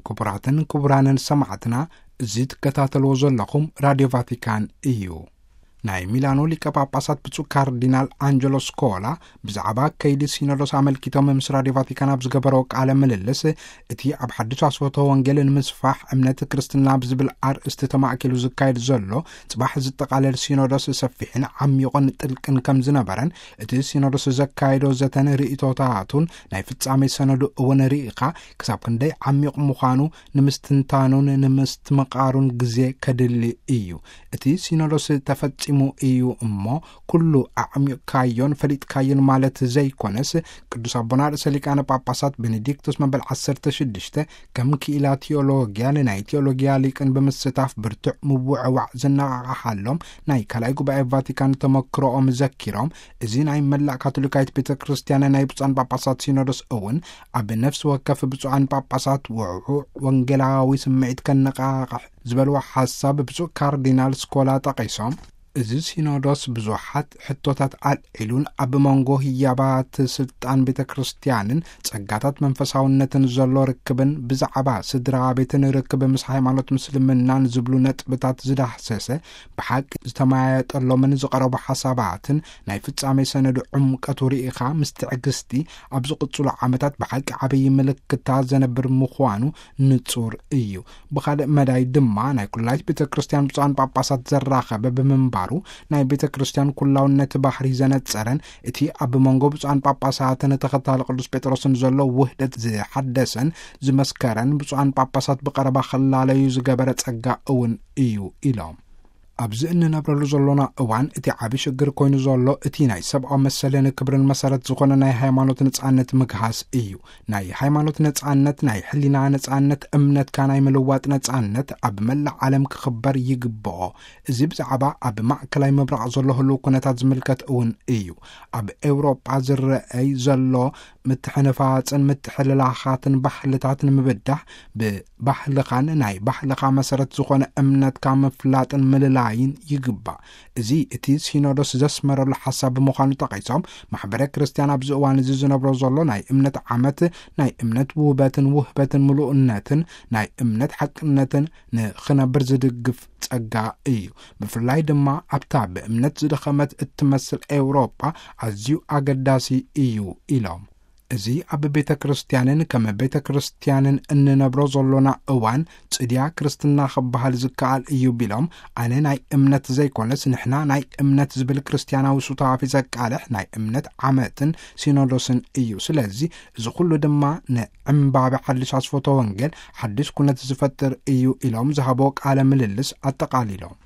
ክቡራትን ክቡራንን ሰማዕትና፣ እዚ ትከታተልዎ ዘለኹም ራድዮ ቫቲካን እዩ። ናይ ሚላኖ ሊቀ ጳጳሳት ብፁዕ ካርዲናል ኣንጀሎ ስኮላ ብዛዕባ ከይዲ ሲኖዶስ ኣመልኪቶም ምስ ራድዮ ቫቲካን ኣብ ዝገበረዎ ቃለ ምልልስ፣ እቲ ኣብ ሓድሽ ኣስፈቶ ወንጌል ንምስፋሕ እምነት ክርስትና ብዝብል ኣርእስቲ ተማእኪሉ ዝካየድ ዘሎ ጽባሕ ዝጠቓለል ሲኖዶስ ሰፊሕን ዓሚቑን ጥልቅን ከም ዝነበረን፣ እቲ ሲኖዶስ ዘካየዶ ዘተን ርእይቶታቱን ናይ ፍጻሜ ሰነዱ እውን ርኢኻ፣ ክሳብ ክንደይ ዓሚቕ ምዃኑ ንምስትንታኑን ንምስትምቓሩን ግዜ ከድሊ እዩ። እቲ ሲኖዶስ ተፈጺሙ እዩ እሞ፣ ኩሉ ኣዕሚቕካዮን ፈሊጥካዮን ማለት ዘይኮነስ፣ ቅዱስ ኣቦና ርእሰ ሊቃነ ጳጳሳት ቤኔዲክቶስ መበል ዓሰርተ ሽዱሽተ ከም ክኢላ ቴዎሎጊያ ንናይ ቴዎሎጊያ ሊቅን ብምስታፍ ብርቱዕ ምውዕዋዕ ዝነቓቓሓሎም ናይ ካልኣይ ጉባኤ ቫቲካን ተመክሮኦም ዘኪሮም፣ እዚ ናይ መላእ ካቶሊካዊት ቤተ ክርስቲያን ናይ ብፁዓን ጳጳሳት ሲኖዶስ እውን ኣብ ነፍሲ ወከፍ ብፁዓን ጳጳሳት ውዕዉዕ ወንጌላዊ ስምዒት ከነቓቕሕ ዝበልዎ ሓሳብ ብፁዕ ካርዲናል ስኮላ ጠቒሶም፣ እዚ ሲኖዶስ ብዙሓት ሕቶታት ኣልዒሉን ኣብ መንጎ ህያባት ስልጣን ቤተ ክርስቲያንን ጸጋታት መንፈሳውነትን ዘሎ ርክብን ብዛዕባ ስድራ ቤትን ርክብ ምስ ሃይማኖት ምስልምናን ዝብሉ ነጥብታት ዝዳህሰሰ፣ ብሓቂ ዝተመያየጠሎምን ዝቐረቡ ሓሳባትን ናይ ፍጻሜ ሰነዱ ዕምቀቱ ርኢኻ ምስ ትዕግስቲ ኣብ ዝቕጽሉ ዓመታት ብሓቂ ዓብዪ ምልክታ ዘነብር ምዃኑ ንጹር እዩ። ብኻልእ መዳይ ድማ ናይ ኩላይት ቤተ ክርስቲያን ብፁዓን ጳጳሳት ዘራኸበ ብምንባሩ፣ ናይ ቤተ ክርስቲያን ኩላውነት ባህሪ ዘነጸረን እቲ ኣብ መንጎ ብፁዓን ጳጳሳትን ተኸታሊ ቅዱስ ጴጥሮስን ዘሎ ውህደት ዝሓደሰን ዝመስከረን ብፁዓን ጳጳሳት ብቐረባ ክላለዩ ዝገበረ ጸጋ እውን እዩ ኢሎም። ኣብዚ እንነብረሉ ዘሎና እዋን እቲ ዓቢ ሽግር ኮይኑ ዘሎ እቲ ናይ ሰብኣዊ መሰልን ክብርን መሰረት ዝኾነ ናይ ሃይማኖት ነጻነት ምግሃስ እዩ። ናይ ሃይማኖት ነጻነት፣ ናይ ሕሊና ነጻነት፣ እምነትካ ናይ ምልዋጥ ነጻነት ኣብ መላእ ዓለም ክኽበር ይግብኦ። እዚ ብዛዕባ ኣብ ማእከላይ ምብራቕ ዘሎ ህልው ኩነታት ዝምልከት እውን እዩ። ኣብ ኤውሮጳ ዝረኣይ ዘሎ ምትሕንፋጽን ምትሕልላኻትን ባህልታት ንምብዳህ፣ ብባህልኻን ናይ ባህልኻ መሰረት ዝኾነ እምነትካ ምፍላጥን ምልላይን ይግባእ። እዚ እቲ ሲኖዶስ ዘስመረሉ ሓሳብ ብምዃኑ ጠቒሶም፣ ማሕበረ ክርስቲያን ኣብዚ እዋን እዚ ዝነብሮ ዘሎ ናይ እምነት ዓመት፣ ናይ እምነት ውህበትን ውህበትን ምሉእነትን ናይ እምነት ሓቅነትን ንኽነብር ዝድግፍ ጸጋ እዩ። ብፍላይ ድማ ኣብታ ብእምነት ዝደኸመት እትመስል ኤውሮጳ ኣዝዩ ኣገዳሲ እዩ ኢሎም። እዚ ኣብ ቤተ ክርስቲያንን ከም ቤተ ክርስቲያንን እንነብሮ ዘሎና እዋን ጽድያ ክርስትና ክበሃል ዝከኣል እዩ ቢሎም፣ ኣነ ናይ እምነት ዘይኮነስ ንሕና ናይ እምነት ዝብል ክርስቲያናዊ ሱታፌ ዘቃልሕ ናይ እምነት ዓመትን ሲኖዶስን እዩ። ስለዚ እዚ ኩሉ ድማ ንዕምባበ ሓድሽ ኣስፎቶ ወንጌል ሓድሽ ኩነት ዝፈጥር እዩ ኢሎም ዝሃቦ ቃለ ምልልስ ኣጠቓሊሎም።